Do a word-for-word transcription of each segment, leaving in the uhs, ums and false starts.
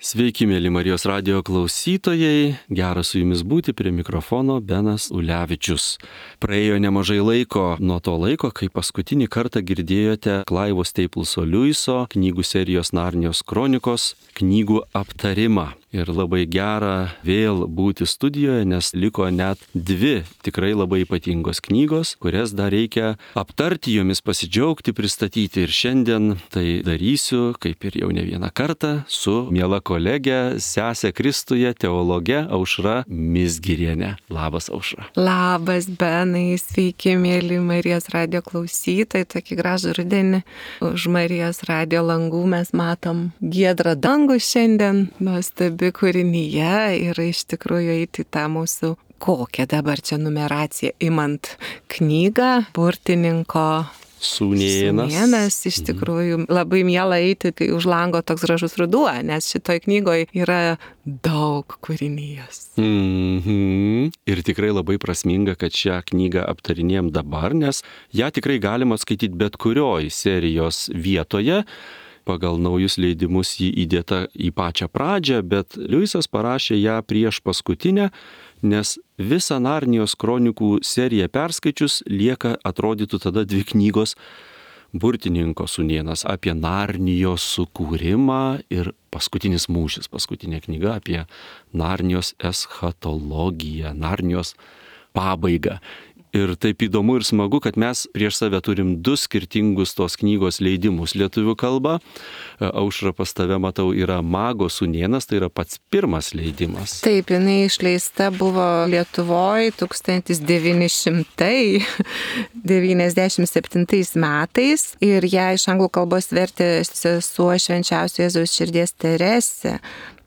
Sveiki, mėly Marijos radijo klausytojai, gera su jumis būti, prie mikrofono Benas Ulevičius. Praėjo nemažai laiko nuo to laiko, kai paskutinį kartą girdėjote Clivo Stapleso Lewiso knygų serijos Narnijos kronikos knygų aptarimą. Ir labai gera vėl būti studijoje, nes liko net dvi tikrai labai ypatingos knygos, kurias dar reikia aptarti, jomis pasidžiaugti, pristatyti. Ir šiandien tai darysiu, kaip ir jau ne vieną kartą, su miela kolegė, sesė Kristuje, teologe Aušra Mizgirienė. Labas, Aušra. Labas, Benai, sveiki, mėly Marijos radijo klausytojai, tokį gražų rudenį. Už Marijos radijo langų mes matom giedrą dangų šiandien, nuostabi kūrinyje ir iš tikrųjų eiti tą mūsų, kokią dabar čia numeraciją, imant knygą burtininko Sūnėnas. Sūnėnas, iš tikrųjų labai miela eiti, kai už lango toks gražus ruduo, nes šitoj knygoje yra daug kūrinijos. Mhm. Ir tikrai labai prasminga, kad šią knygą aptarinėjom dabar, nes ją tikrai galima skaityti bet kurioj serijos vietoje. Pagal naujus leidimus jį įdėta į pačią pradžią, bet Lewisas parašė ją prieš paskutinę, nes visą Narnijos kronikų seriją perskaičius lieka atrodytų tada dvi knygos Burtininko sūnėnas apie Narnijos sukūrimą ir paskutinis mūšis, paskutinė knyga apie Narnijos eschatologiją, Narnijos pabaigą. Ir taip įdomu ir smagu, kad mes prieš save turim du skirtingus tos knygos leidimus lietuvių kalba. Aušra, pas tave, matau, yra Mago sūnėnas, tai yra pats pirmas leidimas. Taip, jinai išleista buvo Lietuvoje tūkstantis devyni šimtai devyniasdešimt septintais metais ir ją iš anglų kalbos vertė sesuo Švenčiausio Jėzaus širdies Teresė.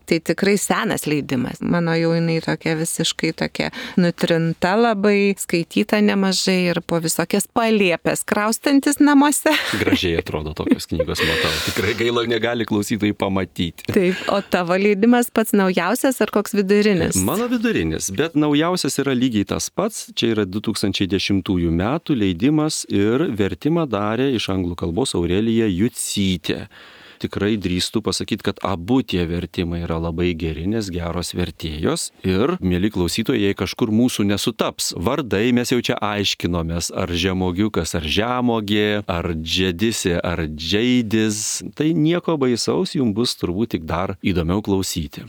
Tai tikrai senas leidimas. Mano jau jinai tokia visiškai tokia nutrinta labai, skaityta nemažai ir po visokias palėpės kraustantis namuose. Gražiai atrodo tokios knygos, matau. Tikrai gaila, negali klausytojai pamatyti. Taip, o tavo leidimas pats naujausias ar koks vidurinis? Mano vidurinis, bet naujausias yra lygiai tas pats. Čia yra du tūkstančiai dešimtųjų metų leidimas ir vertimą darė iš anglų kalbos Aurelija Jucytė. Tikrai drįstu pasakyti, kad abu tie vertimai yra labai geri, nes geros vertėjos. Ir, mėly klausytojai, jei kažkur mūsų nesutaps vardai, mes jau čia aiškinomės, ar žemogiukas, ar žemogė, ar džedisė, ar džeidis. Tai nieko baisaus, jums bus turbūt tik dar įdomiau klausyti.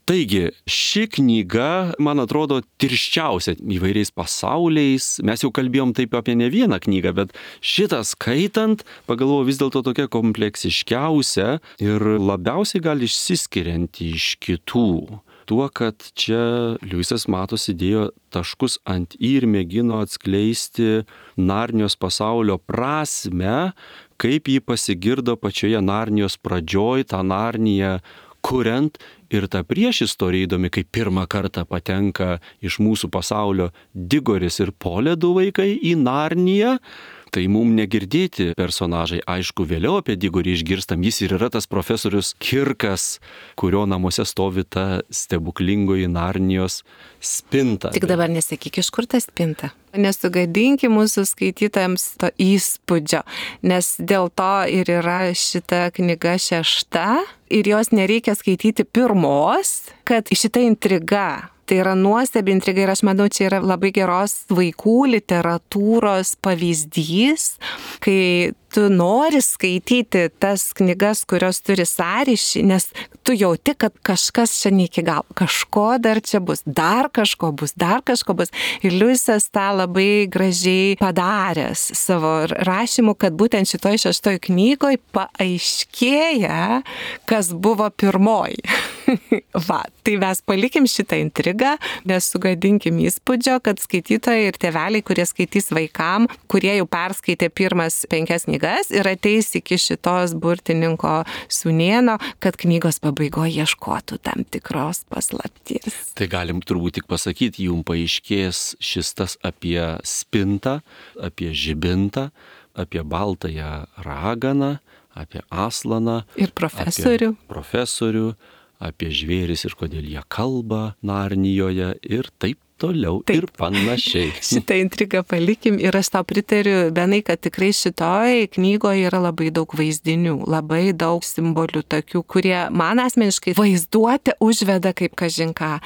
Taigi, ši knyga, man atrodo, tirščiausia įvairiais pasauliais. Mes jau kalbėjom taip apie ne vieną knygą, bet šitą skaitant, pagalvoju, vis dėlto tokia kompleksiškiausia ir labiausiai gal išsiskirianti iš kitų. Tuo, kad čia Lewisas matos įdėjo taškus ant i ir mėgino atskleisti Narnijos pasaulio prasmę, kaip jį pasigirdo pačioje Narnijos pradžioj, tą Narniją kuriant. Ir ta priešistorija įdomi, kai pirmą kartą patenka iš mūsų pasaulio Digoris ir Poledų vaikai į Narniją. Tai mums negirdėti personažai, aišku, vėliau apie Digorį išgirstam, jis ir yra tas profesorius Kirkas, kurio namuose stovi ta stebuklingoji Narnijos spinta. Tik dabar nesakyk, iš kur ta spinta. Nesugadinki mūsų skaitytojams to įspūdžio, nes dėl to ir yra šita knyga šešta ir jos nereikia skaityti pirmos, kad šita intriga. Tai yra nuostabi intriga ir aš manau, čia yra labai geros vaikų literatūros pavyzdys, kai tu nori skaityti tas knygas, kurios turi sąryšį, nes tu jauti, kad kažkas čia ne iki galo, kažko dar čia bus, dar kažko bus, dar kažko bus. Ir Lewisas tą labai gražiai padaręs savo rašymu, kad būtent šitoj šeštoj knygoj paaiškėja, kas buvo pirmoji. Va, tai mes palikim šitą intrigą, nesugadinkim įspūdžio, kad skaitytojai ir tėveliai, kurie skaitys vaikam, kurie jau perskaitė pirmas penkias knygas ir ateis iki šitos burtininko sūnėno, kad knygos pabaigoje ieškotų tam tikros paslapties. Tai galim turbūt tik pasakyti, jums paaiškės šis tas apie spintą, apie žibintą, apie baltąją raganą, apie aslaną. Ir profesorių. Profesorių. Apie žvėris ir kodėl jie kalba Narnijoje ir taip toliau Taip. ir panašiai. Šitą intrigą palikim ir aš tau pritariu, Benai, kad tikrai šitoj knygoje yra labai daug vaizdinių, labai daug simbolių tokių, kurie man asmeniškai vaizduotę užveda kaip kažinką.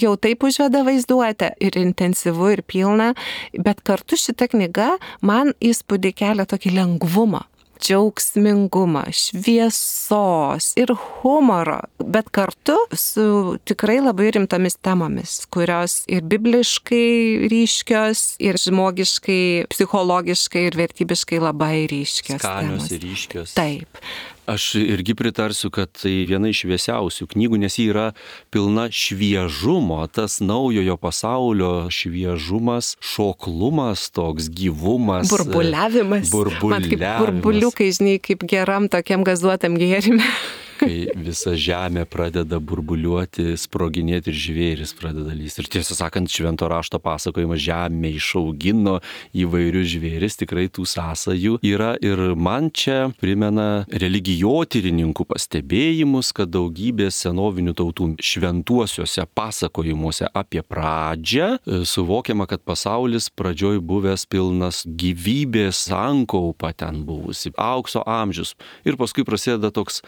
Jau taip užveda vaizduotę ir intensyvu, ir pilna, bet kartu šita knyga man įspūdį kelia tokį lengvumą. Džiaugsmingumą, šviesos ir humoro, bet kartu su tikrai labai rimtomis temomis, kurios ir bibliškai ryškios, ir žmogiškai, psichologiškai ir vertybiškai labai ryškios. Skanios temos. ir ryškios. Taip. Aš irgi pritarsiu, kad tai viena iš šviesiausių knygų, nes ji yra pilna šviežumo, tas naujojo pasaulio šviežumas, šoklumas, toks gyvumas. Burbuliavimas. Burbuliavimas. Man kaip burbuliukai, žinai, kaip geram tokiam gazuotam gėrime. Kai visa žemė pradeda burbuliuoti, sproginėti ir žvėris pradeda lysti. Ir tiesą sakant, švento rašto pasakojimas žemė išaugino įvairius žvėris, tikrai tų sąsajų yra. Ir man čia primena religijotyrininkų pastebėjimus, kad daugybė senovinių tautų šventuosiuose pasakojimuose apie pradžią suvokiama, kad pasaulis pradžioj buvęs pilnas gyvybės, sankaupa ten buvusi, aukso amžius. Ir paskui prasideda toks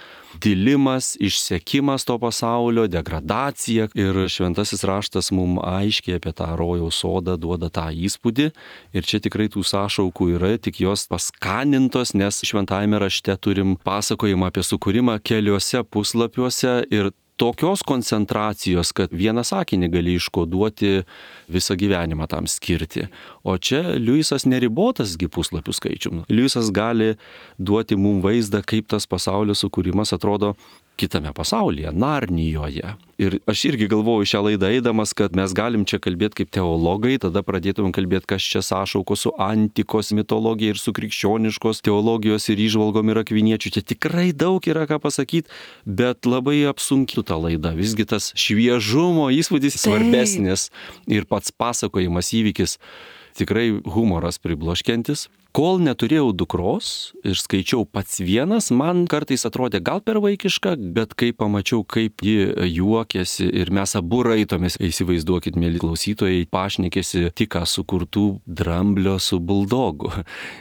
dilimas, išsekimas to pasaulio, degradacija. Ir šventasis raštas mums aiškiai apie tą rojaus sodą duoda tą įspūdį. Ir čia tikrai tų sąšaukų yra, tik jos paskanintos, nes šventajame rašte turim pasakojimą apie sukūrimą keliuose puslapiuose ir tokios koncentracijos, kad vieną sakinį gali iškoduoti visą gyvenimą tam skirti. O čia Liujisas neribotasgi puslapių skaičium. Liujisas gali duoti mums vaizdą, kaip tas pasaulio sukūrimas atrodo kitame pasaulyje, Narnijoje. Ir aš irgi galvoju šią laidą eidamas, kad mes galim čia kalbėti kaip teologai, tada pradėtumėm kalbėti, kas čia sąšauko su antikos mitologija ir su krikščioniškos teologijos ir įžvalgom ir akviniečių. Čia tikrai daug yra ką pasakyti, bet labai apsunkiu tą laidą. Visgi tas šviežumo įspūdis svarbesnis ir pats pasakojimas, įvykis tikrai humoras pribloškiantis. Kol neturėjau dukros ir skaičiau pats vienas, man kartais atrodė gal per vaikiška, bet kai pamačiau, kaip ji juokėsi ir mes abu raitomės, įsivaizduokit, mėly klausytojai, pašnekėsi tik ką sukurtų dramblio su buldogu.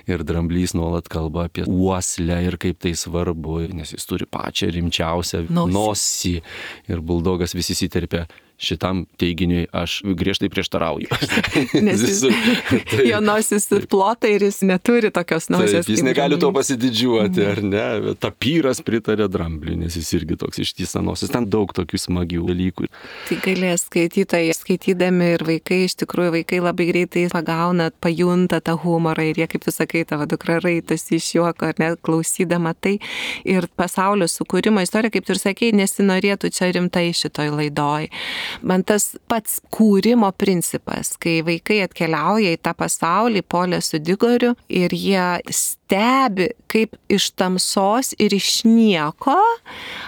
Ir dramblys nuolat kalba apie uoslę ir kaip tai svarbu, nes jis turi pačią rimčiausią nosį. nosį. Ir buldogas visi įsiterpia. Šitam teiginiui aš griežtai prieštarauju. Nes jis, jo nosis plota ir jis neturi tokios nosies. Taip, jis negali to pasididžiuoti, ar ne? Tapyras pritarė drambliui, nes jis irgi toks ištisa nosis. Ten daug tokių smagių dalykų. Tai galės skaitytojai, skaitydami ir vaikai, iš tikrųjų vaikai labai greitai pagauna, pajunta tą humorą ir jie, kaip tu sakai, tavo dukra raitasi iš juoko, ar ne, klausydama tai. Ir pasaulio sukūrimo istorija, kaip tu ir sakei, nesinorėtų čia rimtai šitoj laidoj. Man tas pats kūrimo principas, kai vaikai atkeliauja į tą pasaulį, Polė su Digoriu, ir jie stebi, kaip iš tamsos ir iš nieko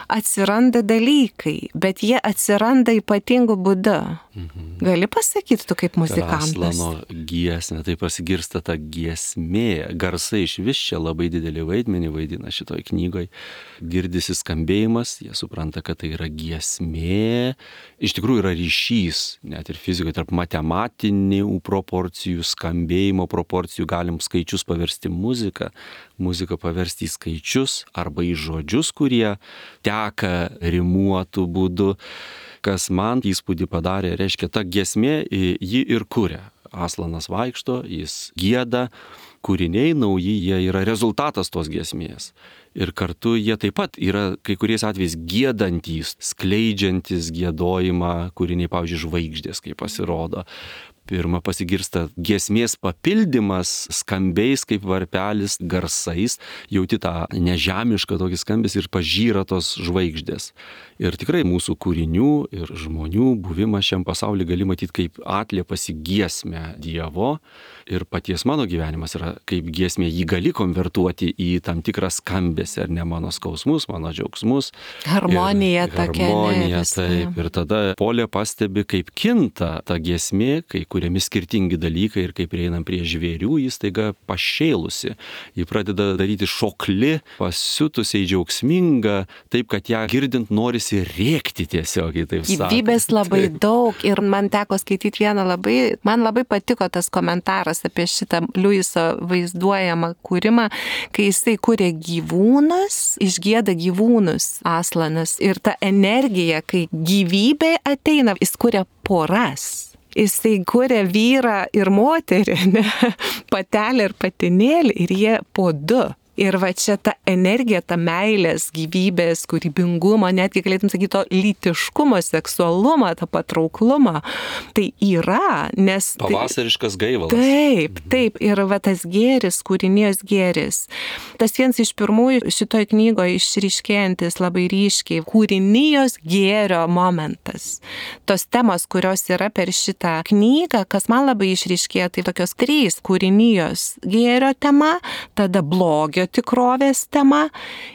atsiranda dalykai, bet jie atsiranda ypatingu būdu. Mhm. Gali pasakyti tu kaip muzikantas? Aslano giesmė, tai pasigirsta ta giesmė, garsai iš vis čia labai didelį vaidmenį vaidina šitoj knygoj. Girdisi skambėjimas, jie supranta, kad tai yra giesmė. Iš tikrųjų yra ryšys, net ir fizikoje, tarp matematinių proporcijų, skambėjimo proporcijų, galim skaičius paversti muziką, muziką paversti į skaičius arba į žodžius, kurie teka rimuotų būdu. Kas man įspūdį padarė, reiškia, ta giesmė jį ir kuria. Aslanas vaikšto, jis gieda, kūriniai nauji, jie yra rezultatas tos giesmės. Ir kartu jie taip pat yra kai kuriais atvejais giedantys, skleidžiantys giedojimą, kūriniai, pavyzdžiui, žvaigždės, kaip pasirodo. Pirma pasigirsta giesmės papildymas skambiais kaip varpelis, garsais, jauti tą nežemišką tokį skambės ir pažyra tos žvaigždės. Ir tikrai mūsų kūrinių ir žmonių buvimą šiam pasauly gali matyti kaip atliepas į giesmę Dievo. Ir paties mano gyvenimas yra kaip giesmė, jį gali konvertuoti į tam tikrą skambesį, ar ne, mano skausmus, mano džiaugsmus. Harmonija tokia. Harmonija, taip. Ir tada Polė pastebi, kaip kinta ta giesmė, kai kuriami skirtingi dalykai ir kai prieinam prie žvėrių, jis taiga pašėlusi. Ji pradeda daryti šokli, pasiutusiai džiaugsminga, taip, kad ją girdint norisi rėkti tiesiog, taip sakant. Gyvybės labai daug ir man teko skaityti vieną labai, man labai patiko tas komentaras apie šitą Liuiso vaizduojamą kūrimą, kai jisai kūrė gyvūnus, išgieda gyvūnus Aslanas ir ta energija, kai gyvybė ateina, jis kuria poras. Jisai kuria vyrą ir moterį, ne? Patelę ir patinėlį ir jie po du. Ir va čia ta energija, ta meilės, gyvybės, kūrybingumo, netgi galėtum sakyti to lytiškumo, seksualumo, tą patrauklumą, tai yra, nes... Pavasariškas gaivalas. Taip, taip, ir va tas gėris, kūrinijos gėris. Tas vienas iš pirmųjų šitoj knygoje išryškėjantis labai ryškiai, kūrinijos gėrio momentas. Tos temos, kurios yra per šitą knygą, kas man labai išryškėjo, tai tokios trys kūrinijos gėrio tema, tada blogio tikrovės tema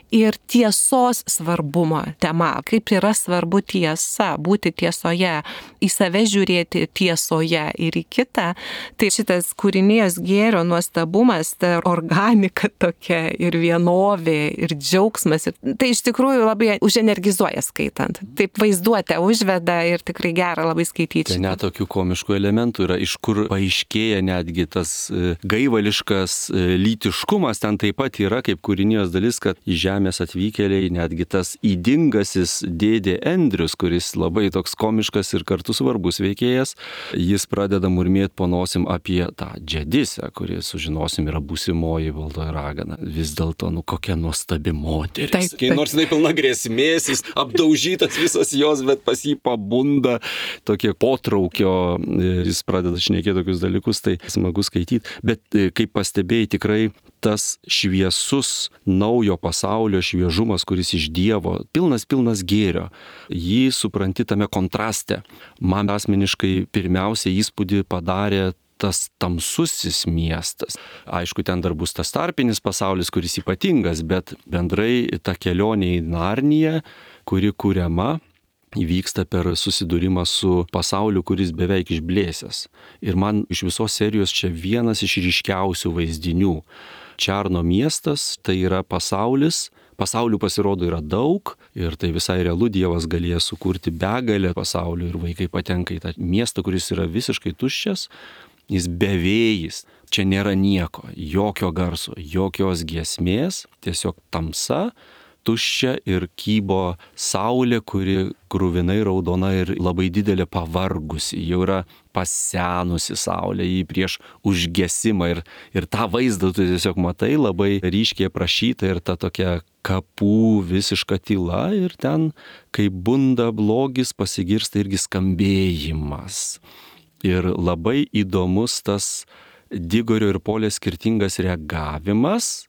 ir tiesos svarbumo tema. Kaip yra svarbu tiesa, būti tiesoje, į save žiūrėti tiesoje ir į kitą. Tai šitas kūrinijos gėrio nuostabumas, ta organika tokia ir vienovė ir džiaugsmas. Ir tai iš tikrųjų labai uženergizuoja skaitant. Taip vaizduotę užveda ir tikrai gera labai skaityti. Tai net tokių komiškų elementų yra, iš kur paaiškėja netgi tas gaivališkas lytiškumas, ten taip pat yra kaip kūrinijos dalis, kad į žemės atvykėliai netgi tas įdingasis dėdė Andrius, kuris labai toks komiškas ir kartu svarbus veikėjas, jis pradeda murmėti po nosim apie tą džedisę, kuri, sužinosim, yra būsimoji baltoji ragana. Vis dėlto, nu kokia nuostabi moteris. Taip, taip. Nors jinai pilna grėsmės, jis apdaužytas visas jos, bet pas jį pabunda tokie potraukio, jis pradeda šnekėti tokius dalykus, tai smagu skaityti. Bet kaip pastebėjai, tikrai tas šviesus naujo pasaulio šviežumas, kuris iš Dievo, pilnas, pilnas gėrio, jį supranti tame kontraste. Man asmeniškai pirmiausia įspūdį padarė tas tamsusis miestas. Aišku, ten dar bus tas tarpinis pasaulis, kuris ypatingas, bet bendrai ta kelionė į Narniją, kuri kuriama, įvyksta per susidūrimą su pasauliu, kuris beveik išblėsęs. Ir man iš visos serijos čia vienas iš ryškiausių vaizdinių. Čarno miestas tai yra pasaulis, pasaulių pasirodo yra daug ir tai visai realu, Dievas galėjo sukurti begalę pasaulių ir vaikai patenka į tą miestą, kuris yra visiškai tuščias, jis bevėjis, čia nėra nieko, jokio garso, jokios giesmės, tiesiog tamsa, tuščia ir kybo saulė, kuri kruvinai raudona ir labai didelė pavargusi, jau yra pasenusi saulė, jį prieš užgesimą ir, ir tą vaizdą tu tiesiog matai, labai ryškiai aprašyta ir ta tokia kapų visiška tyla ir ten, kai bunda blogis, pasigirsta irgi skambėjimas. Ir labai įdomus tas Digorio ir Polės skirtingas reagavimas.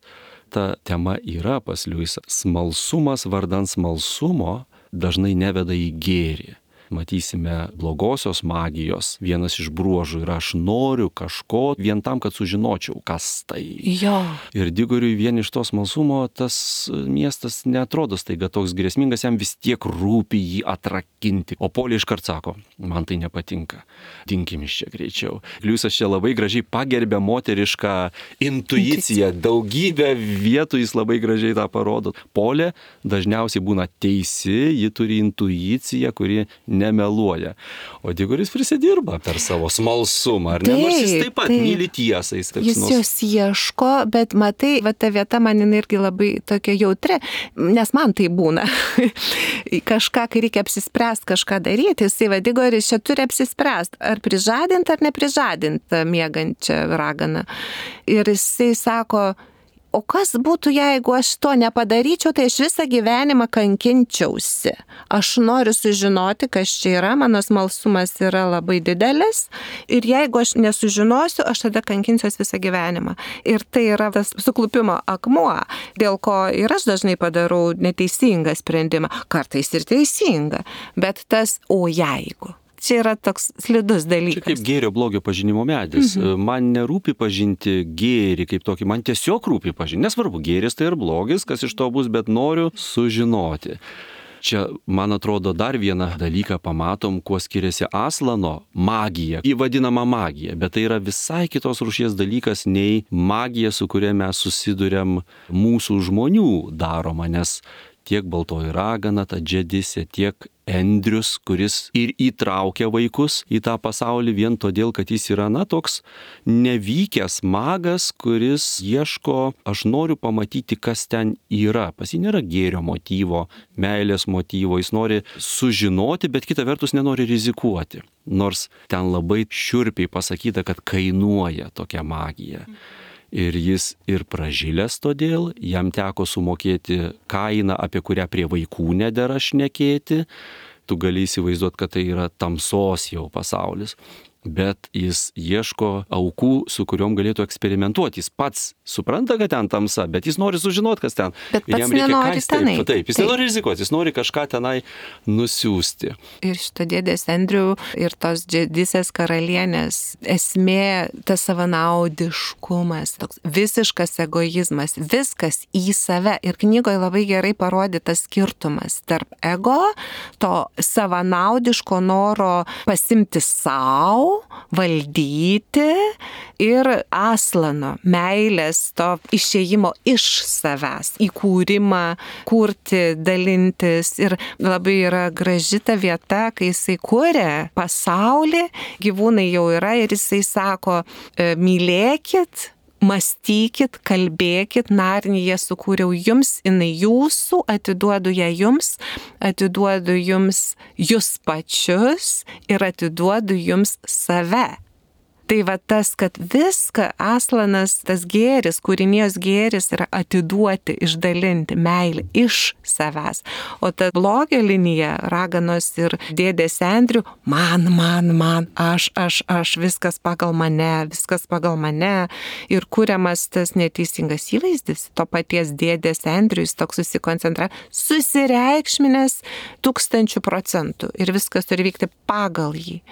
Ta tema yra pas Liuisą. Smalsumas vardan smalsumo dažnai neveda į gėrį. Matysime blogosios magijos. Vienas iš bruožų yra aš noriu kažko vien tam, kad sužinočiau, kas tai. Jo. Ir Digoriui vien iš to smalsumo tas miestas neatrodo staiga toks grėsmingas, jam vis tiek rūpi jį atrakinti. O Polė iškart sako, man tai nepatinka. Dinkim iš čia greičiau. Liuisas čia labai gražiai pagerbė moterišką intuiciją. Daugybę vietų jis labai gražiai tą parodo. Polė dažniausiai būna teisi, ji turi intuiciją, kuri nemeluoja. O Digoris prisidirba per savo smalsumą, ar ne? Nors jis taip pat taip. myli tiesą. Jis, jis nors... jos ieško, bet matai, va ta vieta man irgi labai tokia jautri, nes man tai būna. Kažką, kai reikia apsispręsti, kažką daryti, jisai va Digoris čia turi apsispręsti, ar prižadinti, ar neprižadinti miegančią raganą. Ir jisai sako, o kas būtų, jeigu aš to nepadaryčiau, tai aš visą gyvenimą kankinčiausi. Aš noriu sužinoti, kas čia yra, mano smalsumas yra labai didelis ir jeigu aš nesužinosiu, aš tada kankinsiuos visą gyvenimą. Ir tai yra tas suklupimo akmuo, dėl ko ir aš dažnai padarau neteisingą sprendimą, kartais ir teisingą, bet tas o jeigu. Čia yra toks slidus dalykas. Čia kaip gėrio blogio pažinimo medis. Mhm. Man nerūpi pažinti gėrį kaip tokį, man tiesiog rūpi pažinti. Nesvarbu, gėris tai ir blogis, kas iš to bus, bet noriu sužinoti. čia, man atrodo, dar vieną dalyką pamatom, kuo skiriasi Aslano magija, įvadinama magija, bet tai yra visai kitos rūšies dalykas nei magija, su kuria mes susiduriam mūsų žmonių daroma, nes tiek baltoji ragana, ta džedisė, tiek Endrius, kuris ir įtraukia vaikus į tą pasaulį vien todėl, kad jis yra, na, toks nevykęs magas, kuris ieško, aš noriu pamatyti, kas ten yra. Pas jį nėra gėrio motyvo, meilės motyvo, jis nori sužinoti, bet kita vertus nenori rizikuoti. Nors ten labai šiurpiai pasakyta, kad kainuoja tokia magija. Ir jis ir pražilęs todėl, jam teko sumokėti kainą, apie kurią prie vaikų nedera šnekėti. Tu gali įsivaizduoti, kad tai yra tamsos jau pasaulis. Bet jis ieško aukų, su kuriuom galėtų eksperimentuoti. Jis pats supranta, kad ten tamsa, bet jis nori sužinoti, kas ten. Bet pats nenori tenai. Taip, taip, jis taip. nenori rizikuoti, jis nori kažką tenai nusiųsti. Ir šito dėdės Andrew ir tos džedisės karalienės esmė, tas savanaudiškumas, toks visiškas egoizmas, viskas į save. Ir knygoje labai gerai parodytas skirtumas tarp ego, to savanaudiško noro pasimti savo, valdyti ir Aslano meilės, to išėjimo iš savęs, įkūrimą, kurti, dalintis. Ir labai yra graži ta vieta, kai jisai kūrė pasaulį, gyvūnai jau yra ir jisai sako, mylėkit, mąstykit, kalbėkit, Narniją sukūriau jums, jinai jūsų, atiduodu ją jums, atiduodu jums jūs pačius ir atiduodu jums save. Tai va tas, kad viską Aslanas, tas gėris, kūrinijos gėris yra atiduoti, išdalinti meilę iš savęs. O ta blogio linija, raganos ir dėdės Andrew, man, man, man, aš, aš, aš, viskas pagal mane, viskas pagal mane. Ir kuriamas tas neteisingas įvaizdis, to paties dėdės Andrew, jis toks susikoncentra, susireikšminės tūkstančių procentų ir viskas turi vykti pagal jį.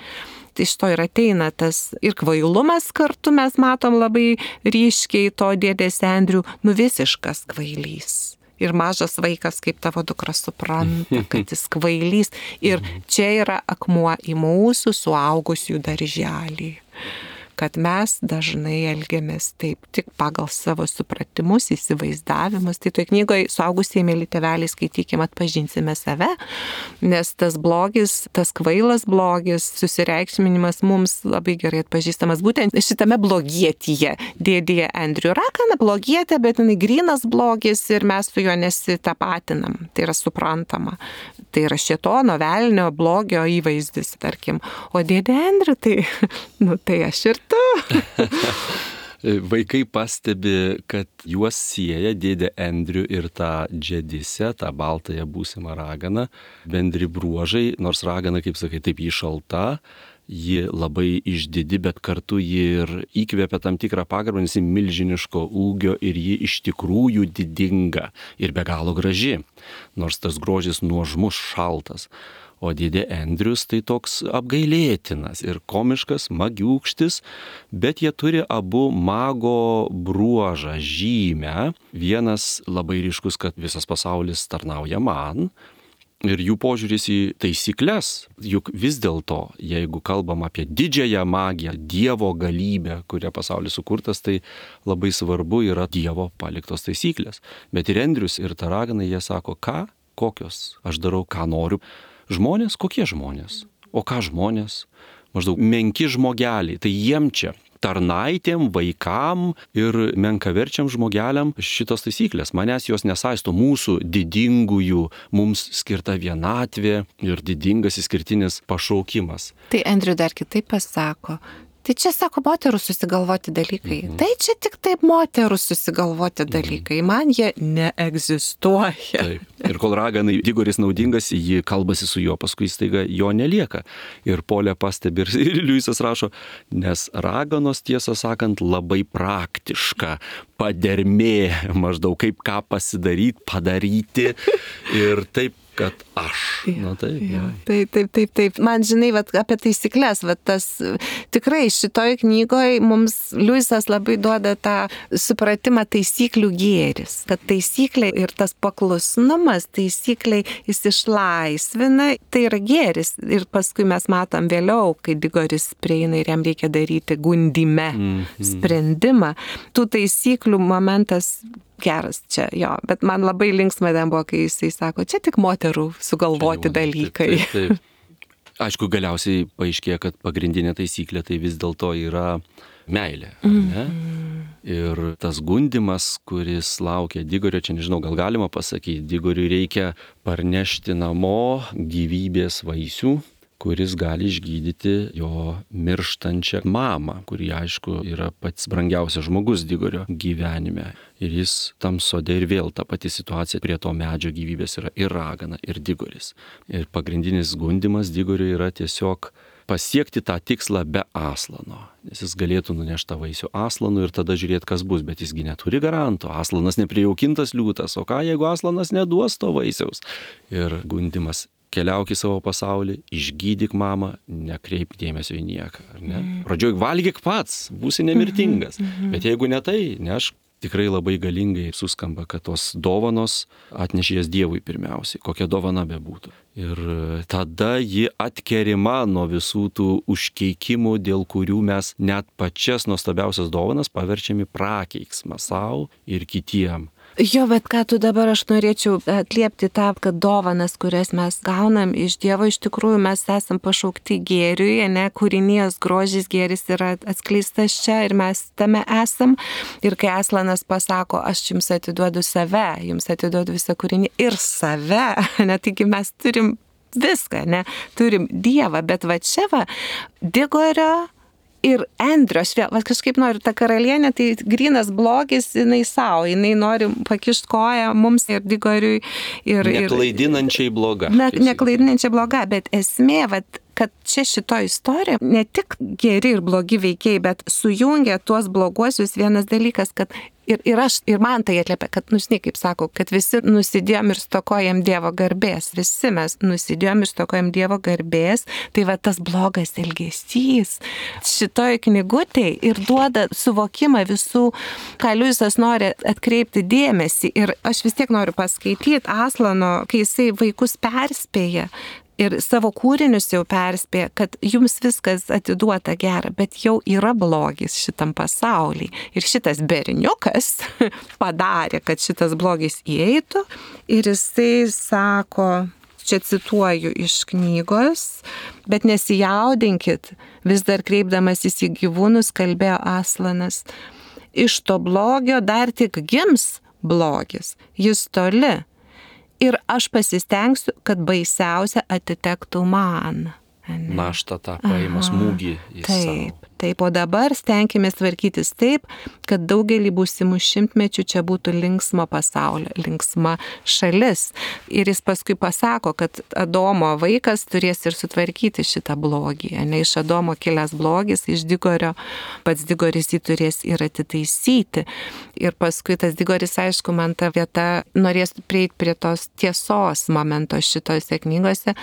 Tai iš to ir ateina tas ir kvailumas kartu, mes matom labai ryškiai to dėdės Andrew, nu visiškas kvailys. Ir mažas vaikas, kaip tavo dukra supranta, kad jis kvailys. Ir čia yra akmuo į mūsų suaugusių darželį. Kad mes dažnai elgiamės taip tik pagal savo supratimus, įsivaizdavimus. Tai toje knygoje suaugusieji, mėly tėveliai, skaitykim, atpažinsime save, nes tas blogis, tas kvailas blogis, susireikšminimas mums labai gerai atpažįstamas. Būtent šitame blogietyje, dėdėje Andrew Ragana blogietė, bet jinai grynas blogis ir mes su juo nesitapatinam. Tai yra suprantama. Tai yra šėtono, velnio, blogio įvaizdis, tarkim. O dėdė Andrew, tai, nu, tai aš ir Vaikai pastebi, kad juos sieja dėdė Andrew ir tą džedisę, tą baltąją būsimą raganą, bendri bruožai, nors ragana, kaip sakai, taip jį šalta, ji labai išdidi, bet kartu ji ir įkvėpia tam tikrą pagarbą, nes ji milžiniško ūgio ir ji iš tikrųjų didinga ir be galo graži, nors tas grožis nuožmus, šaltas. O dėdė Andrius tai toks apgailėtinas ir komiškas, magiūkštis, bet jie turi abu mago bruožą, žymę. Vienas labai ryškus, kad visas pasaulis tarnauja man. Ir jų požiūris į taisyklės, juk vis dėlto, jeigu kalbam apie didžiąją magiją, Dievo galybę, kuria pasaulis sukurtas, tai labai svarbu yra Dievo paliktos taisyklės. Bet ir Andrius, ir ta ragana, jie sako, ką, kokios, aš darau, ką noriu. Žmonės, kokie žmonės? O ką žmonės? Maždaug menki žmogeliai, tai jiem čia. Tarnaitėm, vaikam ir menkaverčiam žmogeliam šitos taisyklės. Manęs jos nesaisto, mūsų didingųjų, mums skirta vienatvė ir didingas išskirtinis pašaukimas. Tai Andrew dar kitaip pasako. Tai čia, sako, moterų susigalvoti dalykai. Mhm. Tai čia tik taip moterų susigalvoti dalykai. Man jie neegzistuoja. Taip. Ir kol raganai Digoris naudingas, ji kalbasi su juo, paskui staiga jo nelieka. Ir Polė pastebi, ir Liujisas rašo, nes raganos, tiesą sakant, labai praktiška, padermė, maždaug kaip ką pasidaryti, padaryti. Ir taip kad aš. Ja, Na taip, ja. ja. Taip, taip, taip, taip. Man, žinai, vat, apie taisyklės, vat, tas tikrai šitoj knygoje mums Liujisas labai duoda tą supratimą taisyklių gėris, kad taisyklė ir tas paklusnumas taisykliai jis išlaisvina, tai yra gėris. Ir paskui mes matom vėliau, kai Digoris prieina ir jam reikia daryti gundyme mm-hmm. sprendimą. Tų taisyklių momentas geras čia, jo, bet man labai linksma ten buvo, kai jisai sako, čia tik moterų sugalvoti jau, dalykai. Taip, taip, taip. Aišku, galiausiai paaiškėja, kad pagrindinė taisyklė tai vis dėlto yra meilė, ne? Mm. Ir tas gundymas, kuris laukia Digorio, čia nežinau, gal galima pasakyti, Digoriui reikia parnešti namo gyvybės vaisių, kuris gali išgydyti jo mirštančią mamą, kuri, aišku, yra pats brangiausias žmogus Digorio gyvenime. Ir jis tam sode ir vėl ta pati situacija prie to medžio gyvybės yra ir ragana, ir Digoris. Ir pagrindinis gundymas Digoriui yra tiesiog pasiekti tą tikslą be aslano. Nes jis galėtų nunešti tą vaisių aslanu ir tada žiūrėti, kas bus, bet jisgi neturi garanto. Aslanas neprijaukintas liūtas, o ką jeigu aslanas neduos to vaisiaus? Ir gundymas. Keliauk į savo pasaulį, išgydyk mamą, nekreip dėmesio į nieką. Ar ne? Pradžioj valgyk pats, būsi nemirtingas. Bet jeigu ne tai, ne aš tikrai labai galingai suskamba, kad tos dovanos atnešė jas Dievui pirmiausiai, kokia dovana bebūtų. Ir tada ji atkerima nuo visų tų užkeikimų, dėl kurių mes net pačias nuostabiausias dovanas paverčiami prakeiksmą savo ir kitiem. Jo, bet ką tu dabar aš norėčiau atliepti tą, kad dovanas, kurias mes gaunam iš Dievo, iš tikrųjų mes esam pašaukti gėriui, ne, kūrinijos grožis gėris yra atskleistas čia ir mes tame esam. Ir kai Aslanas pasako, aš jums atiduodu save, jums atiduodu visą kūrinį ir save, ne, taigi mes turim viską, ne, turim Dievą, bet va čia va, Digorio ir Endrio, aš vėl, va, kažkaip noriu, ta karalienė, tai grynas blogis, jinai savo, jinai nori pakišti koją mums ir Digoriui. Ir, neklaidinančiai bloga. Ne, neklaidinančiai bloga, bet esmė, va, kad čia šito istorija ne tik geri ir blogi veikiai, bet sujungia tuos bloguosius vienas dalykas, kad ir, ir aš, ir man tai atliepia, kad, nu, žinai, kaip sako, kad visi nusidėjom ir stokojam Dievo garbės, visi mes nusidėjom ir stokojam Dievo garbės, tai va tas blogas elgesys šitoj knygutėj ir duoda suvokimą visų, ką Liujisas nori atkreipti dėmesį. Ir aš vis tiek noriu paskaityti Aslano, kai jisai vaikus perspėja, ir savo kūrinius jau perspėja, kad jums viskas atiduota gera, bet jau yra blogis šitam pasaulyje. Ir šitas berniukas padarė, kad šitas blogis įeitų. Ir jisai sako, čia cituoju iš knygos, bet nesijaudinkit, vis dar kreipdamasis į gyvūnus, kalbėjo Aslanas. Iš to blogio dar tik gims blogis, jis toli. Ir aš pasistengsiu, kad baisiausia atitektų man. Naštą tą paima smūgį į savo. Taip, taip, o dabar stenkimės tvarkytis taip, kad daugelį būsimų šimtmečių čia būtų linksmo pasaulio, linksma šalis. Ir jis paskui pasako, kad Adomo vaikas turės ir sutvarkyti šitą blogį. Ne iš Adomo kilęs blogis, iš Digorio, pats Digoris jį turės ir atitaisyti. Ir paskui tas Digoris, aišku, man ta vieta norės prieiti prie tos tiesos momento šitose knygose.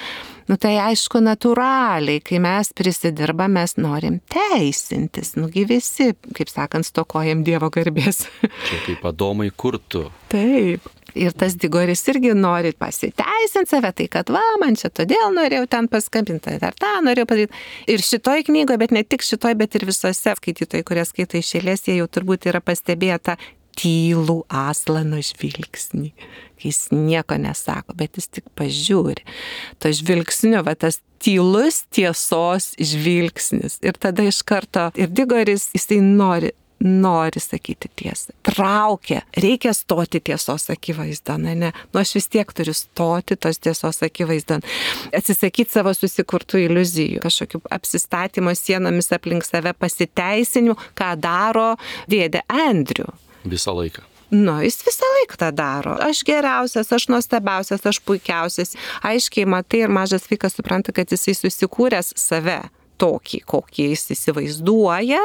Nu tai aišku, natūraliai, kai mes prisidirbam, mes norim teisintis. Nugi visi, kaip sakant, stokojam Dievo garbės. Čia kaip Adomai, kur tu? Taip. Ir tas Digoris irgi nori pasiteisinti save, tai kad va, man čia todėl norėjau ten paskambinti, ar tą norėjau padaryti. Ir šitoj knygoje, bet ne tik šitoj, bet ir visose skaitytojai, kurie skaito iš eilės, jie jau turbūt yra pastebėję tą tylų Aslano žvilgsnį. Jis nieko nesako, bet jis tik pažiūri. To žvilgsnio, va tas tylus tiesos žvilgsnis. Ir tada iš karto ir Digoris, jisai nori, nori sakyti tiesą. Traukia, reikia stoti tiesos akivaizdon, ne? Nu aš vis tiek turiu stoti tos tiesos akivaizdon. Atsisakyti savo susikurtų iliuzijų, kažkokių apsistatymo sienomis aplink save pasiteisinimų, ką daro dėdė Andrių. Visą laiką. Nu, jis visą laiką tą daro. Aš geriausias, aš nuostabiausias, aš puikiausias. Aiškiai matai ir mažas vaikas supranta, kad jisai susikūręs save. tokį, kokį jis įsivaizduoja,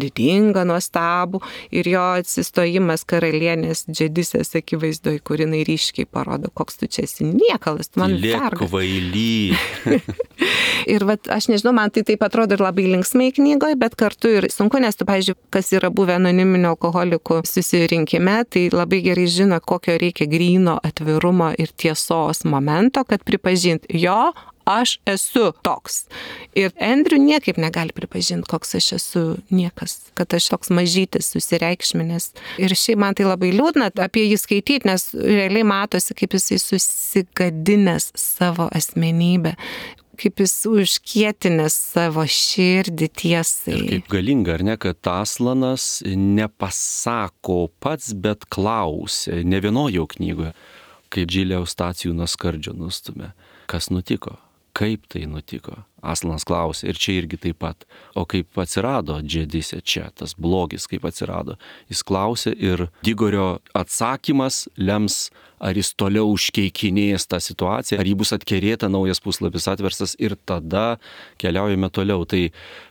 didingą, nuostabų, ir jo atsistojimas karalienės Džedisės akivaizdoj, kur jinai ryškiai parodo, koks tu čia esi niekalas, tu man vergas. Kvaily. Ir vat, aš nežinau, man tai taip atrodo ir labai linksmai knygoje, bet kartu ir sunku, nes tu, pavyzdžiui, kas yra buvę anoniminio alkoholikų susirinkime, tai labai gerai žino, kokio reikia gryno atvirumo ir tiesos momento, kad pripažint, jo, aš esu toks. Ir Andrew niekaip negali pripažinti, koks aš esu niekas, kad aš toks mažytis, susireikšminęs. Ir šiaip man tai labai liūdna apie jį skaityti, nes realiai matosi, kaip jisai susigadinęs savo asmenybę, kaip jis užkietinęs savo širdį tiesai. Ir kaip galinga, ar ne, kad Aslanas nepasako pats, bet klausia, ne vienoje jo knygoje, kai Džilė Eustacijų nuo skardžio nustumė. Kas nutiko? Kaip tai nutiko? Aslanas klausė, ir čia irgi taip pat. O kaip atsirado Džedisė čia, tas blogis kaip atsirado? Jis klausė ir Digorio atsakymas lems, ar jis toliau užkeikinės tą situaciją, ar jį bus atkerėta, naujas puslapis atverstas ir tada keliaujame toliau. Tai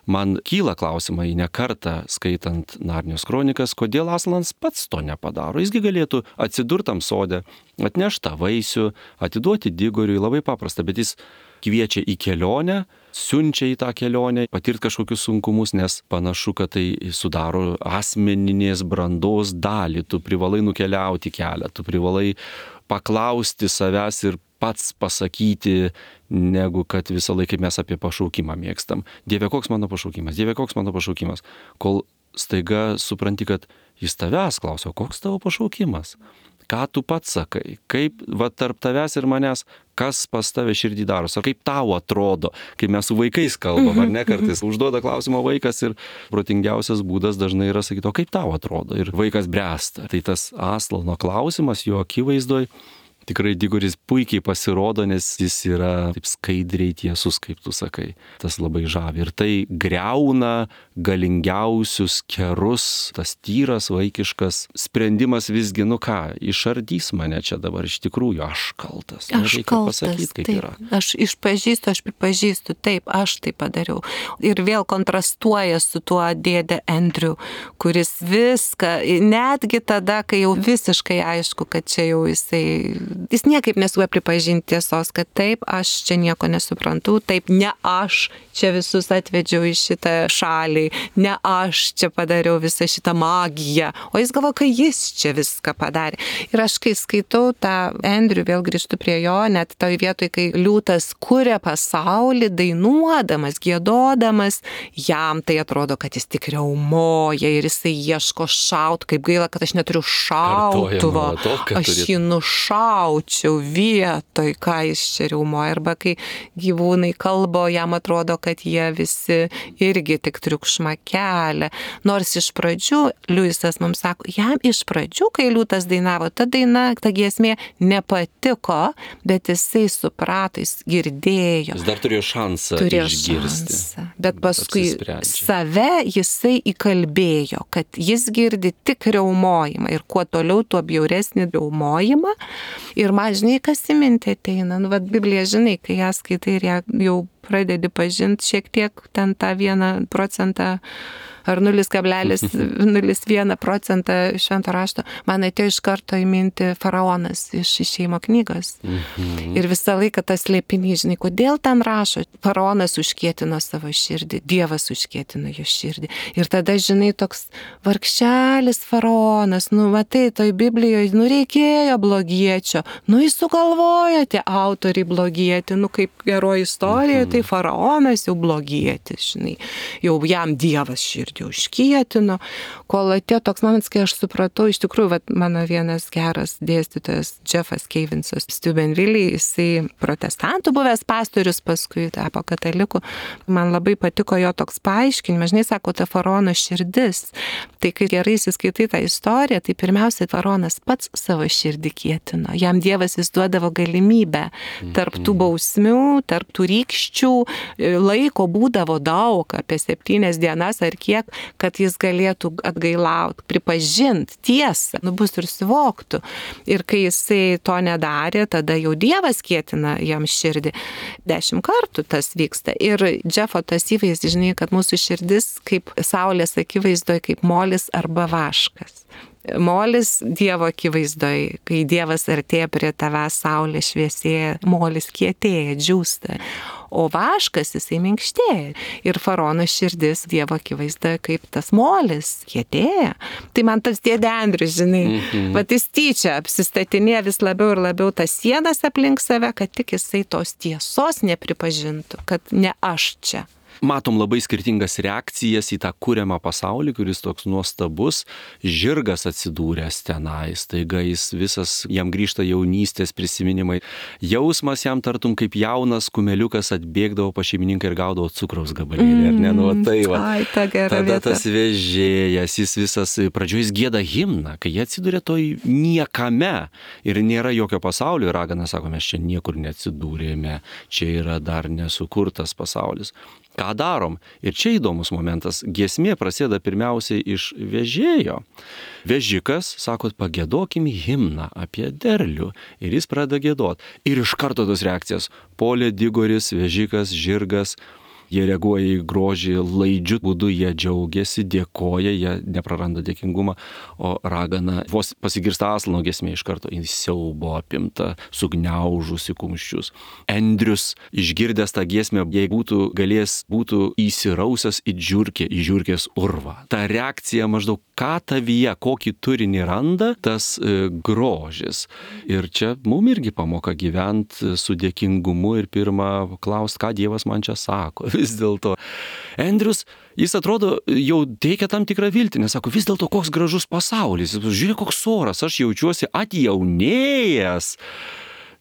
man kyla klausimai ne kartą skaitant Narnijos kronikas, kodėl Aslanas pats to nepadaro. Jisgi galėtų atsidurtam sode, atnešti tą vaisių, atiduoti Digoriui, labai paprasta, bet jis kviečia į kelionę, siunčia į tą kelionę, patirti kažkokius sunkumus, nes panašu, kad tai sudaro asmeninės brandos dalį. Tu privalai nukeliauti kelią, tu privalai paklausti savęs ir pats pasakyti, negu kad visą laiką mes apie pašaukimą mėgstam. Dieve, koks mano pašaukimas, Dieve, koks mano pašaukimas. Kol staiga supranti, kad jis tavęs klausia, koks tavo pašaukimas? Ką tu pats sakai? Kaip va, tarp tavęs ir manęs, kas pas tave širdį daros? Ar kaip tau atrodo, kai mes su vaikais kalbam, ar ne, kartais užduoda klausimą vaikas ir protingiausias būdas dažnai yra sakyti, o kaip tau atrodo? Ir vaikas bręsta. Tai tas Aslano klausimas jo akivaizdoj, tikrai Digoris puikiai pasirodo, nes jis yra taip skaidriai tiesus, kaip tu sakai. Tas labai žavi. Ir tai greuna galingiausius kerus, tas tyras, vaikiškas sprendimas visgi, nu ką, išardys mane čia dabar iš tikrųjų, aš kaltas. Aš kaltas, pasakyt, kaip taip. Yra. Aš išpažįstu, aš pripažįstu, taip, aš tai padariau. Ir vėl kontrastuoja su tuo dėdė Andrew, kuris viską, netgi tada, kai jau visiškai aišku, kad čia jau jisai jis niekaip nesuoja pripažinti tiesos, kad taip, aš čia nieko nesuprantu, taip, ne aš čia visus atvedžiau į šitą šalį, ne aš čia padariau visą šitą magiją, o jis galvo, kai jis čia viską padarė. Ir aš kai skaitau tą Andrew, vėl grįžtu prie jo, net toj vietoj, kai liūtas kuria pasaulį, dainuodamas, giedodamas, jam tai atrodo, kad jis tik riaumoja ir jisai ieško šautų, kaip gaila, kad aš neturiu šautuvo, aš jį nušau. Jaučiau vietoj, ką jis čia riaumoja, arba kai gyvūnai kalbo, jam atrodo, kad jie visi irgi tik triukšmą kelia. Nors iš pradžių, Liujisas mums sako, jam iš pradžių, kai liūtas dainavo, ta daina, ta giesmė nepatiko, bet jisai suprato, jis girdėjo. Jis dar turėjo šansą turėjo išgirsti. Šansą. Bet paskui save jisai įkalbėjo, kad jis girdi tik riaumojimą ir kuo toliau, tuo bjauresnį riaumojimą. Ir man, žinai, kas į mintį ateina. Nu, vat Bibliją, žinai, kai ją skaitai ir ją jau pradedi pažinti šiek tiek ten tą vieną procentą ar nulis kablelis nulis vienas procentą švento rašto, man atėjo iš karto į mintį faraonas iš Išėjimo knygos. Mhm. Ir visą laiką tas slėpinys, žinai, kodėl ten rašo, faraonas užkietino savo širdį, Dievas užkietino jo širdį. Ir tada, žinai, toks vargšelis faraonas, nu, matai, toj Biblijoje, nu, reikėjo blogiečio, nu, jis sugalvojo tie autoriai blogieti, nu, kaip geroji istorija, mhm. tai faraonas jau blogietis, žinai, jau jam Dievas širdį užkietino, kol atėjo toks momentas, kai aš supratau, iš tikrųjų, vat, mano vienas geras dėstytojas, Jeffas Kevinsas Steubenville, jisai protestantų buvęs pastorius, paskui tapo kataliku, man labai patiko jo toks paaiškinimas, žinai, sako, ta faraono širdis, tai kai gerai įsiskaitai tą istoriją, tai pirmiausia, faraonas pats savo širdį kietino, jam Dievas vis duodavo galimybę, tarp tų bausmių, tarp tų rykščių, laiko būdavo daug, apie septynias dienas ar kiek, tiek, kad jis galėtų atgailauti, pripažinti tiesą, nu bus ir suvoktų. Ir kai jisai to nedarė, tada jau Dievas kietina jam širdį. Dešimt kartų tas vyksta. Ir Džefo tas įvaizdis, žinai, kad mūsų širdis kaip saulės akivaizdoje, kaip molis arba vaškas. Molis Dievo akivaizdoje, kai Dievas artėja prie tavęs, saulė šviesėja, molis kietėja, džiūsta. O vaškas jisai minkštėja. Ir faraono širdis Dievo akivaizdoje kaip tas molis kietėja. Tai man tas dėdė Andrius, žinai, mm-hmm. vat jis tyčia apsistatinėja vis labiau ir labiau tas sienas aplink save, kad tik jisai tos tiesos nepripažintų, kad ne aš čia. Matom labai skirtingas reakcijas į tą kuriamą pasaulį, kuris toks nuostabus. Žirgas atsidūręs tenais, taiga jis visas, jam grįžta jaunystės prisiminimai. Jausmas jam tartum kaip jaunas kumeliukas atbėgdavo pa šeimininką ir gaudavo cukraus gabalėlį, ar ne? Nu, tai va. Ai, ta gera Tada vieta. Tas vežėjas, jis visas, pradžioje jis gieda himną, kai jie atsidūrė toj niekame ir nėra jokio pasaulio. Ragana sako, mes čia niekur neatsidūrėme, čia yra dar nesukurtas pasaulis. Ką darom? Ir čia įdomus momentas. Giesmė prasideda pirmiausiai iš vežėjo. Vežikas, sakot, pagiedokim himną apie derlių. Ir jis pradeda giedot. Ir iš karto tos reakcijas. Polė, digoris, vežikas, žirgas. Jie reaguoja į grožį, laidžių būdu jie džiaugiasi, dėkoja, jie nepraranda dėkingumą, o ragana vos pasigirsta aslano giesmė iš karto, jis siaubo apimta, sugniaužusi kumščius. Andrius, išgirdęs tą giesmę, jei būtų galės, būtų įsirausęs į žiurkę, į žiurkės urvą. Ta reakcija maždaug, ką tavyje, kokį turinį randa, tas e, grožis. Ir čia mum irgi pamoka gyventi su dėkingumu ir pirmą klaust, ką Dievas man čia sako. Vis dėlto. Andrius, jis atrodo jau teikia tam tikrą viltį, nes sako, vis dėlto koks gražus pasaulis, žiūrėk koks oras, aš jaučiuosi atjaunėjęs.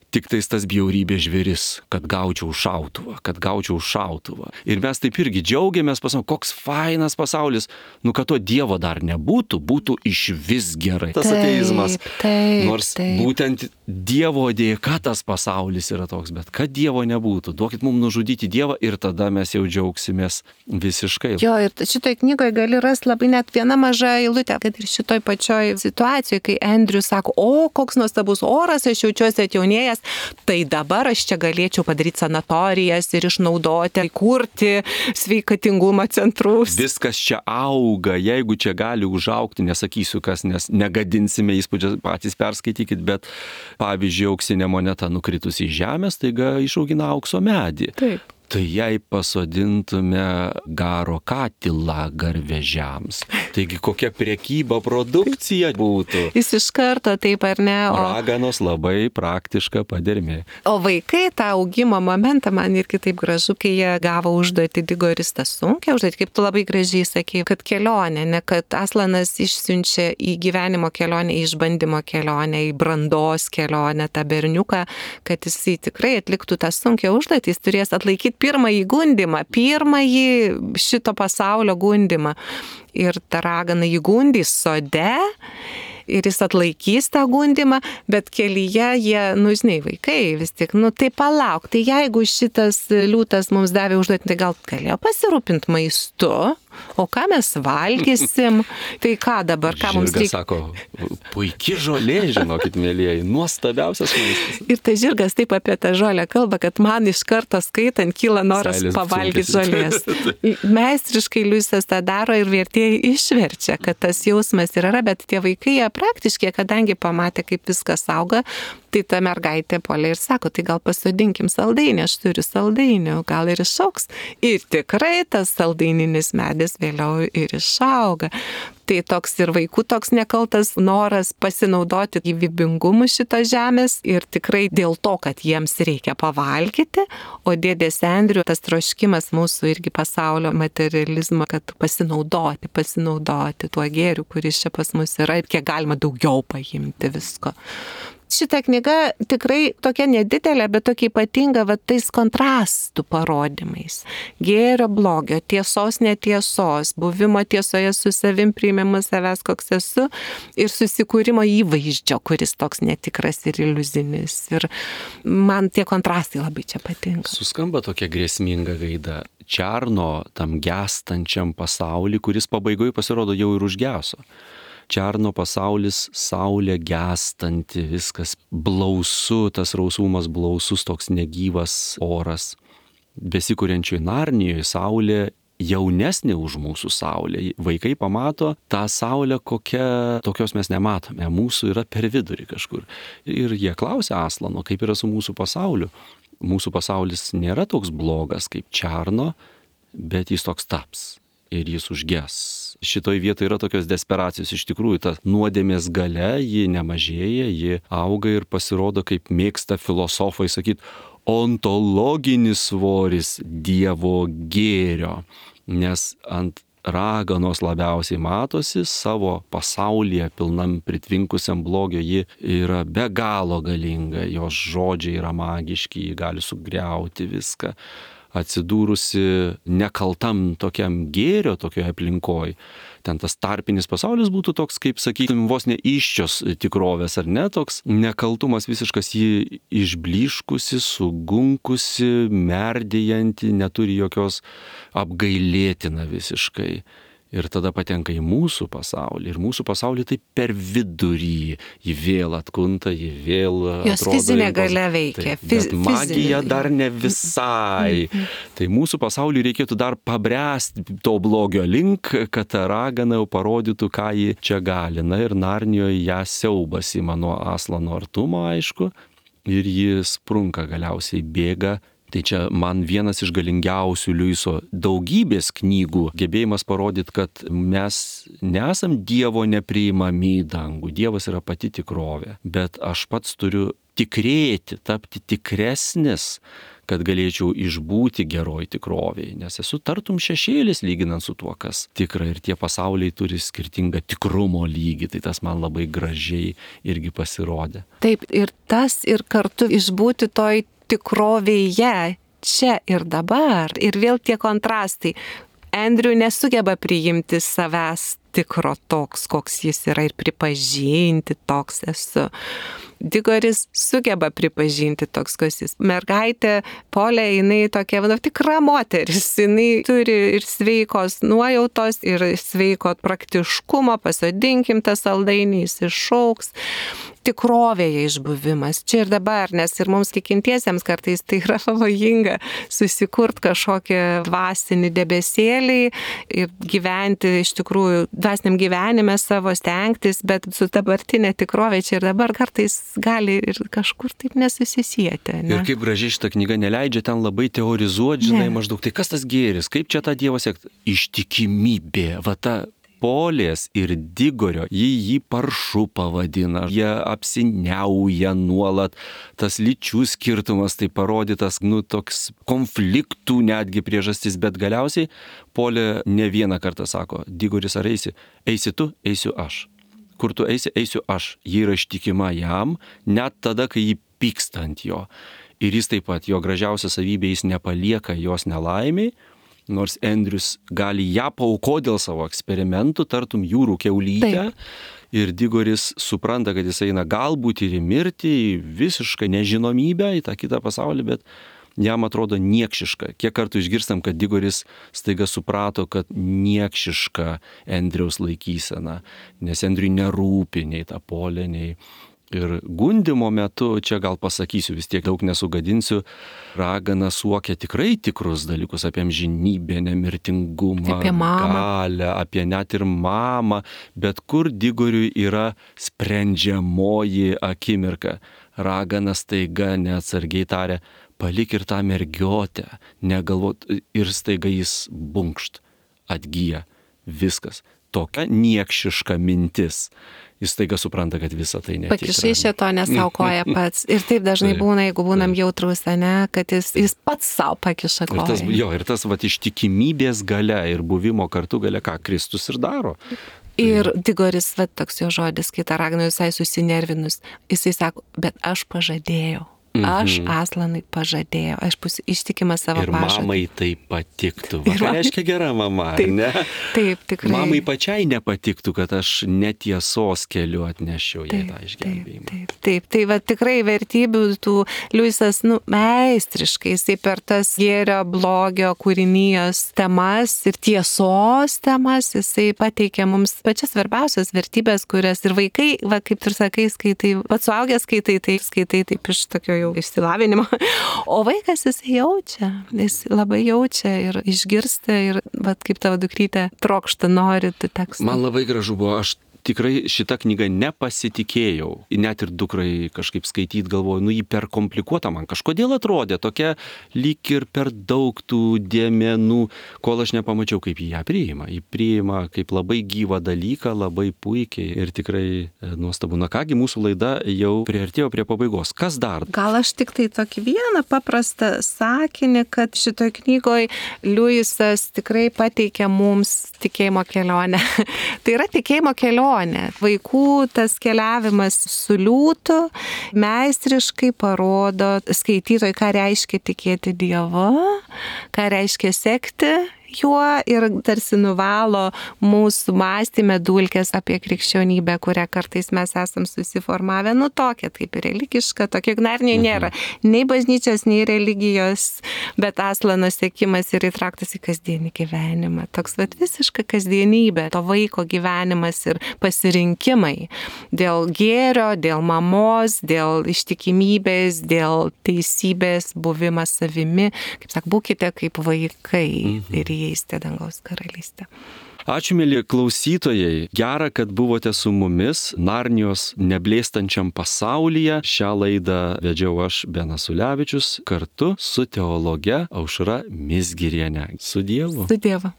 Tik tais tas bjaurybės žvėris, kad gaučiau šautuvą, kad gaučiau šautuvą. Ir mes taip irgi džiaugiamės, pasakom, koks fainas pasaulis, nu kad to Dievo dar nebūtų, būtų iš vis gerai. Tas taip, ateizmas. Taip, Nors taip. būtent Dievo dėka tas pasaulis yra toks, bet kad Dievo nebūtų, duokit mums nužudyti Dievą ir tada mes jau džiaugsimės visiškai. Jo, ir šitoj knygoje gali rasti labai net viena maža eilutė, kad ir šitoj pačioj situacijoje, kai Andrius sako, o koks nuostabus oras, aš jaučiuosi atjaunėjęs, tai dabar aš čia galėčiau padaryti sanatorijas ir išnaudoti, įkurti sveikatingumo centrus. Viskas čia auga, jeigu čia gali užaugti, nesakysiu kas, nes negadinsime įspūdžio, patys perskaitykit, bet pavyzdžiui, auksinė moneta nukritus į žemę, staiga išaugina aukso medį. Taip. Tai jei pasodintume garo katilą garvežiams, taigi kokia prekyba produkcija būtų. Jis iš karto taip ar ne. O, Raganos labai praktiška padermė. o vaikai tą augimo momentą man irgi taip gražu, kai jie gavo užduoti Digoris tą sunkę užduoti, kaip tu labai gražiai sakei, kad kelionė, ne kad Aslanas išsiunčia į gyvenimo kelionę, į išbandymo kelionę, į brandos kelionę tą berniuką, kad jisai tikrai atliktų tą sunkę užduotį, jis turės atlaikyti pirmąjį gundimą, pirmąjį šito pasaulio gundimą. Ir ta ragana jį gundys sode ir jis atlaikys tą gundimą, bet kelyje jie, nu žinai, vaikai vis tik, nu tai palauk, tai jeigu šitas liūtas mums davė užduotį, tai gal galėjo pasirūpinti maistu, o ką mes valgysim, tai ką dabar, ką mums Žirgas reikia. sako, puiki žolė, žinokit, mėlyjeji, nuostabiausias maistas. Ir ta žirgas taip apie tą žolę kalba, kad man iš karto skaitant kyla noras Seilės pavalgyti sunkiasi. žolės. Meistriškai Liujisas tą daro ir vertėjai išverčia, kad tas jausmas ir yra, bet tie vaikai jie praktiškai, kadangi pamatė, kaip viskas auga, tai ta mergaitė puolė ir sako, tai gal pasodinkim saldainį, aš turiu saldainių, gal ir išaugs. Ir tikrai tas saldaininis medis vėliau ir išauga. Tai toks ir vaikų toks nekaltas noras pasinaudoti gyvybingumu šito žemės ir tikrai dėl to, kad jiems reikia pavalgyti, o dėdės Andrių tas troškimas mūsų irgi pasaulio materializmo, kad pasinaudoti, pasinaudoti tuo gėriu, kuris čia pas mus yra ir kiek galima daugiau paimti visko. Šita knyga tikrai tokia nedidelė, bet tokia ypatinga, va, tais kontrastų parodymais. Gėrio, blogio, tiesos, netiesos, buvimo tiesoje su savim, priėmimo savęs, koks esu, ir susikūrimo įvaizdžio, kuris toks netikras ir iliuzinis. Ir man tie kontrastai labai čia patinka. Suskamba tokia grėsminga gaida. Čarno tam gęstančiam pasaulį, kuris pabaigoje pasirodo jau ir užgeso. Čarno pasaulis, saulė gęstanti, viskas blausu, tas rausvumas blausus, toks negyvas oras. Besikuriančioj Narnijoje saulė jaunesnė už mūsų saulę. Vaikai pamato tą saulę, kokia tokios mes nematome. Mūsų yra per vidurį kažkur. Ir jie klausia Aslano, kaip yra su mūsų pasauliu. Mūsų pasaulis nėra toks blogas kaip Čarno, bet jis toks taps. Ir jis užges. Šitoj vietoje yra tokios desperacijos. Iš tikrųjų, ta nuodėmės galia, ji nemažėja, ji auga ir pasirodo, kaip mėgsta filosofai sakyti, ontologinis svoris Dievo gėrio. Nes ant raganos labiausiai matosi savo pasaulyje pilnam pritvinkusiam blogio, ji yra be galo galinga, jos žodžiai yra magiški, ji gali sugriauti viską. Atsidūrusi nekaltam tokiam gėrio, tokioje aplinkoje. Ten tas tarpinis pasaulis būtų toks, kaip, sakykime, vos ne iščios tikrovės, ar ne? Toks nekaltumas visiškas, jį išbliškusi, sugunkusi, merdėjanti, neturi jokios apgailėtina visiškai. Ir tada patenka į mūsų pasaulį. Ir mūsų pasaulį tai per vidurį. Jį vėl atkunta, jį vėl atrodo. Jos fizinė galia veikia. Tai, bet magija dar ne visai. Tai mūsų pasauliui reikėtų dar pabręsti to blogio link, kad ta ragana jau parodytų, ką ji čia gali. Na ir Narnijoje ją siaubas ima nuo Aslano artumo, aišku. Ir ji sprunka galiausiai, bėga. Tai čia man vienas iš galingiausių Liuiso daugybės knygų gebėjimas parodyti, kad mes nesam Dievo nepriimami į dangų. Dievas yra pati tikrovė. Bet aš pats turiu tikrėti, tapti tikresnis, kad galėčiau išbūti geroj tikrovėje. Nes esu tartum šešėlis lyginant su tuo, kas tikra. Ir tie pasauliai turi skirtingą tikrumo lygį. Tai tas man labai gražiai irgi pasirodė. Taip, ir tas ir kartu išbūti toj tikrovėje, čia ir dabar. Ir vėl tie kontrastai. Andrew nesugeba priimti savęs tikro toks, koks jis yra, ir pripažinti toks esu. Digoris sugeba pripažinti toks, koks jis. Mergaitė Polė, jinai tokia, nu, tikra moteris. Jinai turi ir sveikos nuojautos, ir sveiko praktiškumo, pasodinkim tą saldainį, jis išauks. Tikrovėje išbuvimas, čia ir dabar, nes ir mums tikintiesiems kartais tai yra pavojinga susikurt kažkokį dvasinį debesėlį ir gyventi iš tikrųjų dvasiniam gyvenime savo stengtis, bet su dabartinė tikrovė čia ir dabar kartais gali ir kažkur taip nesusisieti. Ne? Ir kaip gražiai šitą knygą neleidžia ten labai teorizuoti, žinai, ne. Maždaug, tai kas tas gėris, kaip čia tą Dievą siekti? Ištikimybė, va ta Polės ir Digorio, jį jį paršu pavadina, jie apsiniauja nuolat, tas lyčių skirtumas tai parodytas, nu, toks konfliktų netgi priežastis, bet galiausiai Polė ne vieną kartą sako, Digoris ar eisi, eisi tu, eisiu aš. Kur tu eisi, eisiu aš. Ji yra ištikima jam, net tada, kai jį pyksta ant jo. Ir jis taip pat, jo gražiausia savybė, jis nepalieka jos nelaimiai, nors Andrius gali ją paaukoti dėl savo eksperimentų, tartum jūrų kiaulytę. Taip. Ir Digoris supranta, kad jis eina galbūt ir į mirtį, į visišką nežinomybę, į tą kitą pasaulį, bet jam atrodo niekšiška. Kiek kartų išgirstam, kad Digoris staiga suprato, kad niekšiška Andriaus laikysena, nes Andriui nerūpi nei ta Polė, nei... Ir gundimo metu, čia gal pasakysiu, vis tiek daug nesugadinsiu, ragana suokia tikrai tikrus dalykus apie amžinybę, nemirtingumą, apie galią, apie net ir mamą, bet kur Digoriui yra sprendžiamoji akimirka. Ragana staiga neatsargiai taria, palik ir tą mergiotę, negalvot, ir staiga jis bunkšt, atgyja, viskas. Tokia niekšiška mintis. Jis staiga supranta, kad visa tai netikra. Pakišai šito nesaukoja pats. Ir taip dažnai būna, jeigu būnam jautrus, ne, kad jis, jis pats savo pakiša koją. Ir tas, jo, ir tas vat, ištikimybės galia ir buvimo kartu galia, ką Kristus ir daro. Ir Digoris, va, toks jo žodis, kai tą ragino visai susinervinus, jisai sako, bet aš pažadėjau. Aš Aslanui pažadėjau, aš būsiu ištikima savo ir pažadui. Ir mamai tai patiktų. Va, ką reiškia gera mama, taip, ne? Taip, tikrai. Mamai pačiai nepatiktų, kad aš netiesos keliu atnešiau jai tą išgelbėjimą. Taip, taip, taip. Tai va tikrai vertybių tų Liujisas, nu, meistriškai, jisai per tas gėrio, blogio, kūrinijos temas ir tiesos temas, jisai pateikia mums pačias svarbiausias vertybės, kurias ir vaikai, va, kaip tu ir sakai, skaitai, pats suaugęs skaitai, tai skaitai taip iš tokio jau išsilavinimo. O vaikas jis jaučia, jis labai jaučia ir išgirsta ir, vat, kaip tavo dukrytė trokšta, nori tų tekstų. Man labai gražu buvo, aš tikrai šitą knygą nepasitikėjau. Net ir dukrai kažkaip skaityti galvoju, nu jį per komplikuota man kažkodėl atrodė, tokia lyg ir per daug tų dėmenų, kol aš nepamačiau, kaip jį ją priima. Jį priima kaip labai gyvą dalyką, labai puikiai ir tikrai nuostabu. Na kągi, mūsų laida jau priartėjo prie pabaigos. Kas dar? Gal aš tik tai tokį vieną paprastą sakinį, kad šitoj knygoj Liujisas tikrai pateikia mums tikėjimo kelionę. Tai yra tikėjimo kelionė. Vaikų tas keliavimas su liūtu meistriškai parodo skaitytojui, ką reiškia tikėti Dievu, ką reiškia sekti juo ir tarsi nuvalo mūsų mąstymę dulkes apie krikščionybę, kurią kartais mes esam susiformavę, nu tokia, kaip ir religiška, tokia ignarinė nėra. Nei bažnyčios, nei religijos, bet Aslano sekimas yra įtrauktas į kasdienį gyvenimą. Toks vat visiška kasdienybė, to vaiko gyvenimas ir pasirinkimai dėl gėrio, dėl mamos, dėl ištikimybės, dėl teisybės, buvimas savimi. Kaip sak, būkite kaip vaikai. Mhm. Ir įeisite dangaus karalystę. Ačiū, mėly klausytojai. Gera, kad buvote su mumis Narnijos neblėstančiam pasaulyje. Šią laidą vedžiau aš, Benas Ulevičius, kartu su teologe Aušra Mizgiriene. Su Dievu. Su Dievu.